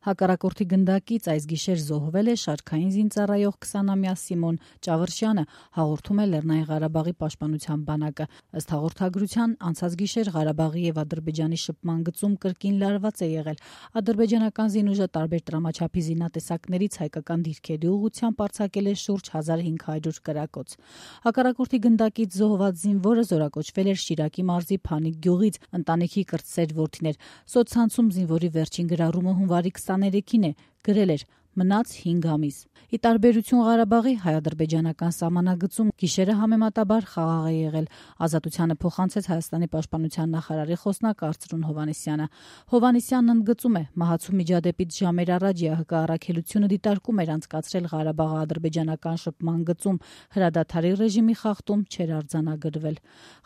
Հակառակորդի գնդակից այս գիշեր զոհվել է շարքային զինծառայող 20-ամյա Սիմոն Ճավրշյանը, հաղորդում է Լեռնային Ղարաբաղի պաշտպանության բանակը։ Ըստ հաղորդագրության, անցած գիշեր Ղարաբաղի եւ Ադրբեջանի շփման գծում կրկին լարված է եղել։ Ադրբեջանական զինուժը տարբեր տրամաչափի զինատեսակներից հայկական դիրքերի ուղղությամբ արձակել է շուրջ 1500 կրակոց։ Հակառակորդի գնդակից զոհված զինվորը զորակոչվել էր Շիրակի մարզի Փանիկ գյուղից, ընտանիքի կրտսեր որդին էր։ Սոցցանցում զինվորի վերջին գրառումը հունվարի 23-ին է, գրել էր. «Մնաց 5 ամիս»։ Ի տարբերություն Ղարաբաղի հայ-ադրբեջանական սահմանագծում գիշերը համեմատաբար խաղաղ է եղել։ Ազատությանը փոխանցեց Հայաստանի պաշտպանության նախարարի խոսնակ Արծրուն Հովհաննիսյանը։ Հովհաննիսյանն ընդգծում է, մահացու միջադեպից ժամեր առաջ ՀՀԿ առաքելությունը դիտարկում էր անցկացրել Ղարաբաղ-ադրբեջանական շփման գծում, հրադադարի ռեժիմի խախտում չէր արձանագրվել։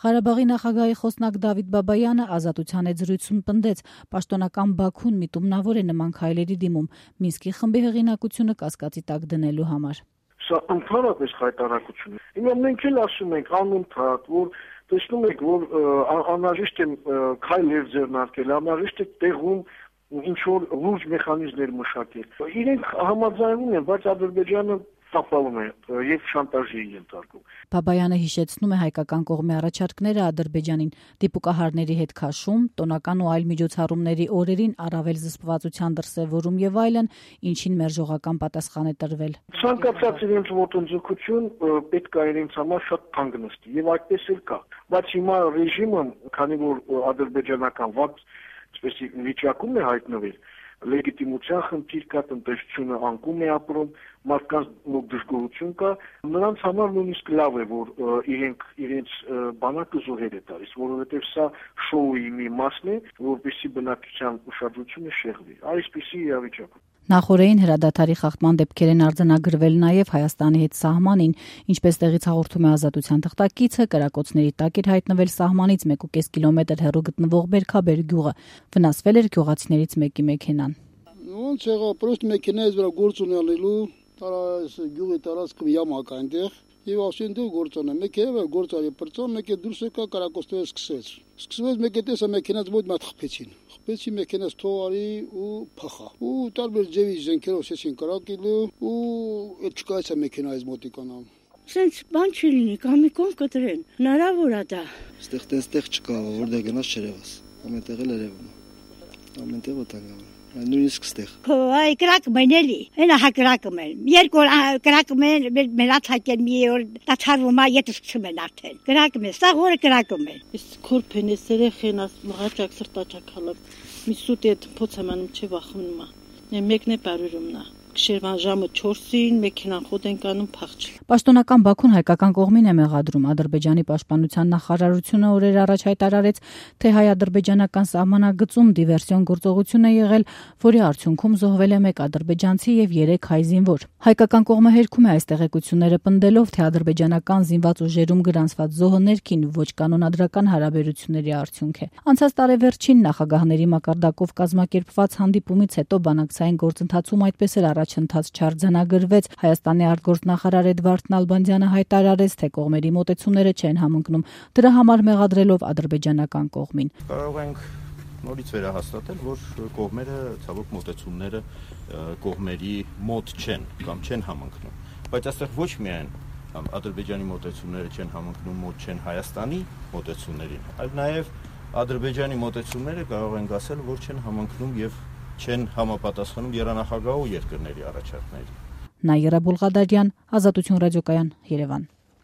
Ղարաբաղի նախագահի խոսնակ Դավիթ Բաբայանը Ազատության հետ զրույցում պնդեց, պաշտոնական Բաքուն միտումնավոր է նման քայլերի դիմում Մինսկի խմբի հեղինակությունը կասկածի տակ դնելու համար։ Սա ընդհանրապես խայտարակություն է։ Հիմա մենք էլ ասում ենք անընդհատ, որ տեսնում եք, որ անհրաժեշտ է քայլեր ձեռնարկել, անհրաժեշտ է տեղում ինչ որ լուրջ մեխանիզմներ մշակել։ Իրենք համաձայնում են, բայց Ադրբեջանը տապալում է եւ շանտաժի ենթարկում։ Բաբայանը հիշեցնում է հայկական կողմի առաջարկները Ադրբեջանին դիպուկահարների հետ քաշում, տոնական ու այլ միջոցառումների օրերին առավել զսպվածության դրսևորում եւ այլն, ինչին մերժողական պատասխան է տրվել։ Ցանկացած իրենց ոտնձգություն պետք է իրենց համար շատ թանկ նստի եւ այդպես էլ կա։ Բայց հիմա ռեժիմը, քանի որ ադրբեջանական վատ վիճակում է հայտնվել, լեգիտիմության խնդիր կա, տնտեսությունը անկում է ապրում, մարդկանց մոտ դժգոհություն կա, նրանց համար նույնիսկ լավ է, որ իրենց բանակը զոհեր է տալիս, որովհետև սա շոուի մի մասն է, որպեսզի բնակչության ուշադրությունը շեղվի։ Այսպիսի իրավիճակ։ Նախորդին հրադադարի խախտման դեպքեր են արձանագրվել նաև Հայաստանի հետ սահմանին, ինչպես տեղից հաղորդում է Ազատության թղթակիցը, կրակոցների տակ էր հայտնվել սահմանից 1.5 կիլոմետր հեռու գտնվող Բերքաբեր գյուղը, վնասվել էր գյուղացիներից մեկի մեքենան։ Ոնց եղա, պրոստ մեքենայից վրա գործ ունենալու, գյուղի տարածքը յամա կա այնտեղ, եւ ասեն դու գործոնը, մեքենա գործարի պրծոն, մեկը դուրս եկա կրակոցները սկսվեց, մեկը տեսա մեքենաց մոտ մատ խփեցին։ Խփեցի մեքենաց թողարի ու փախա։ Ու տարբեր ձևի զենքերով ասեցին կրակելու ու այդ չկայացա մեքենայից մոտիկանամ։ Սենց բան չի լինի, կամի կողմ կտրեն։ Հնարավոր է դա։ Ստեղ չկա, որտեղ գնաց չերևաս։ Ամենտեղ էլ երևում է։ Ամենտեղ օտանգա։ Նույնիսկ ստեղ։ Այ կրակում են էլի, հենա հա կրակում են։ Երկու օր կրակում են, մեր աթակեն մի օր դաթարվում է, եթե սկսում են արդեն։ Կրակում են, սա օրը կրակում են։ Իսկ քորփեն է սերեխեն, մղաճակ սրտաճակ հալակ։ Մի սուտ է փոցամանում չի վախվում է։ Մեկն է բարուրումնա։ Գիշերվան ժամը 4-ին մեքենան խոտ են կանում փախչ։ Պաշտոնական Բաքուն հայկական կողմին է մեղադրում Ադրբեջանի պաշտպանության նախարարությունը օրեր առաջ հայտարարեց, թե հայ-ադրբեջանական սահմանագծում դիվերսիոն գործողություն է եղել, որի արդյունքում զոհվել է 1 ադրբեջանցի եւ 3 հայ զինվոր։ Հայկական կողմը հերքում է այս տեղեկությունները պնդելով, թե ադրբեջանական զինված ուժերում գրանցված զոհը ներքին ոչ կանոնադրական հարաբերությունների արդյունք է։ Անցած տարեվերջին նախագահների մակարդակով կազմակերպված հանդիպումից հետո բանակցային գործընթացում այդպես էլ առաջընթաց չարձանագրվեց։ Հայաստանի արտգործնախարար Էդվարդ Նալբանդյանը հայտարարեց, թե կողմերի մոտեցումները չեն համընկնում, դրա համար մեղադրելով ադրբեջանական կողմին։ Կարող ենք նորից վերահաստատել, որ կողմերը ցավոք մոտեցումները կողմերի մոտ չեն կամ չեն համընկնում, բայց այստեղ ոչ միայն Ադրբեջանի մոտեցումները չեն համընկնում, մոտ չեն Հայաստանի մոտեցումներին, այլ նաև Ադրբեջանի մոտեցումները կարող ենք ասել, որ չեն համընկնում եւ չեն համապատասխանում երանախագահու երկրների առաջարկներին։ Նաիրա Բուլղադարյան, Ազատություն ռադիոկայան, Երևան։